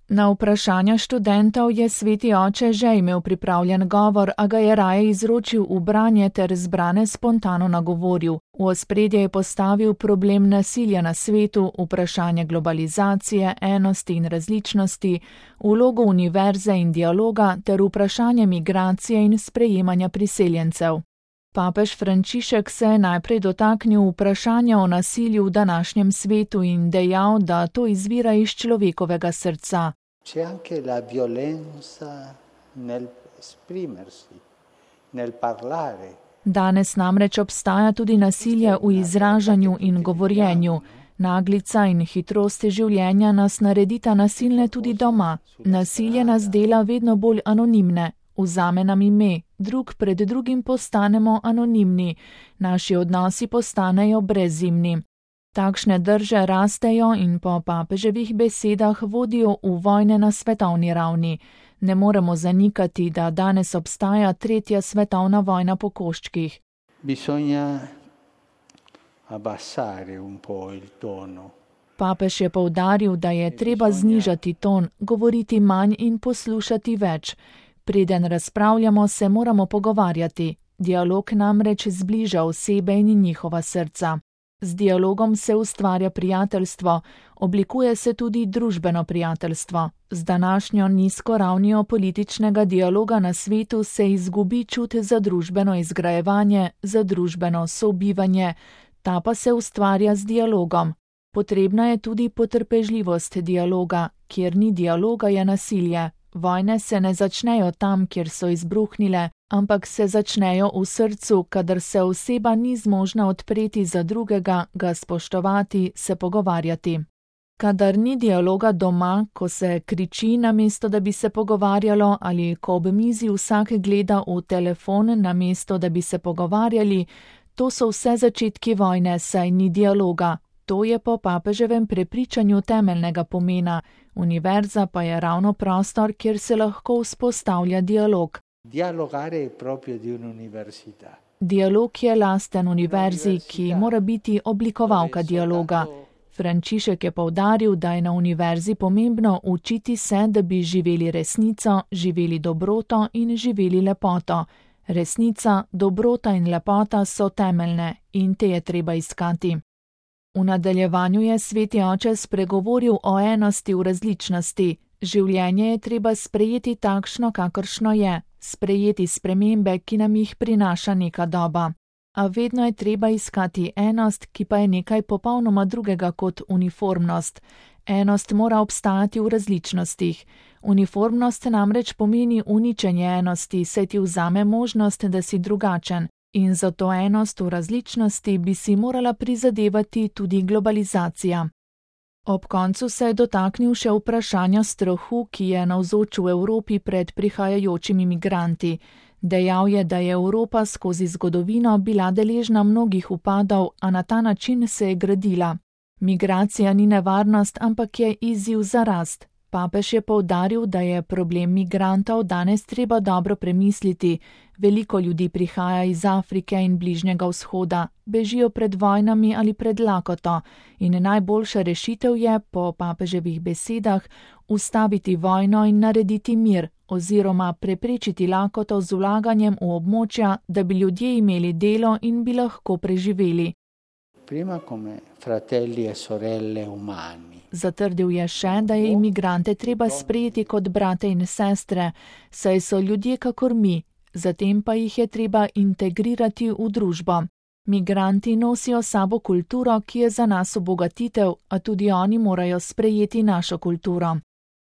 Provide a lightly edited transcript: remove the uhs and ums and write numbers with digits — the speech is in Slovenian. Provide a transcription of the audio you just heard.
Na vprašanja študentov je sveti oče že imel pripravljen govor, a ga je raje izročil v branje ter zbrane spontano nagovoril. V ospredje je postavil problem nasilja na svetu, vprašanje globalizacije, enosti in različnosti, vlogo univerze in dialoga ter vprašanje migracije in sprejemanja priseljencev. Papež Frančišek se je najprej dotaknil vprašanja o nasilju v današnjem svetu in dejal, da to izvira iz človekovega srca. C'è anche la violenza nel esprimersi, nel parlare. Danes namreč obstaja tudi nasilje v izražanju in govorjenju. Naglica in hitrost življenja nas naredita nasilne tudi doma. Nasilje nas dela vedno bolj anonimne. Vzame nam ime, drug pred drugim postanemo anonimni, naši odnosi postanejo brezimni. Takšne drže rastejo in po papeževih besedah vodijo v vojne na svetovni ravni. Ne moremo zanikati, da danes obstaja tretja svetovna vojna po koščkih. Bisogna abbassare un po' il tono. Papež je poudaril, da je treba znižati ton, govoriti manj in poslušati več. Preden razpravljamo, se moramo pogovarjati. Dialog namreč zbliža osebe in njihova srca. Z dialogom se ustvarja prijateljstvo, oblikuje se tudi družbeno prijateljstvo. Z današnjo nizko ravnijo političnega dialoga na svetu se izgubi čut za družbeno izgrajevanje, za družbeno sobivanje, ta pa se ustvarja z dialogom. Potrebna je tudi potrpežljivost dialoga, kjer ni dialoga, je nasilje. Vojne se ne začnejo tam, kjer so izbruhnile, ampak se začnejo v srcu, kadar se oseba ni zmožna odpreti za drugega, ga spoštovati, se pogovarjati. Kadar ni dialoga doma, ko se kriči namesto, da bi se pogovarjalo, ali ko ob mizi vsak gleda v telefon namesto, da bi se pogovarjali, to so vse začetki vojne, saj ni dialoga. To je po papeževem prepričanju temeljnega pomena. Univerza pa je ravno prostor, kjer se lahko vzpostavlja dialog. Dialogare è proprio di un'università. Dialog je lasten univerzi, ki mora biti oblikovalka dialoga. Frančišek je poudaril, da je na univerzi pomembno učiti se, da bi živeli resnico, živeli dobroto in živeli lepoto. Resnica, dobrota in lepota so temeljne in te je treba iskati. V nadaljevanju je sveti oče spregovoril o enosti v različnosti. Življenje je treba sprejeti takšno, kakršno je, sprejeti spremembe, ki nam jih prinaša neka doba. A vedno je treba iskati enost, ki pa je nekaj popolnoma drugega kot uniformnost. Enost mora obstajati v različnostih. Uniformnost namreč pomeni uničenje enosti, saj ti vzame možnost, da si drugačen. In za to enost v različnosti bi si morala prizadevati tudi globalizacija. Ob koncu se je dotaknil še vprašanja strahu, ki je navzoč v Evropi pred prihajajočimi migranti. Dejal je, da je Evropa skozi zgodovino bila deležna mnogih upadov, a na ta način se je gradila. Migracija ni nevarnost, ampak je izziv za rast. Papež je poudaril, da je problem migrantov danes treba dobro premisliti. Veliko ljudi prihaja iz Afrike in Bližnjega vzhoda, bežijo pred vojnami ali pred lakoto in najboljša rešitev je, po papeževih besedah, ustaviti vojno in narediti mir oziroma preprečiti lakoto z vlaganjem v območja, da bi ljudje imeli delo in bi lahko preživeli. Prima come fratelli e sorelle umani. Zatrdil je še, da je imigrante treba sprejeti kot brate in sestre, saj so ljudje kakor mi, zatem pa jih je treba integrirati v družbo. Migranti nosijo sabo kulturo, ki je za nas obogatitev, a tudi oni morajo sprejeti našo kulturo.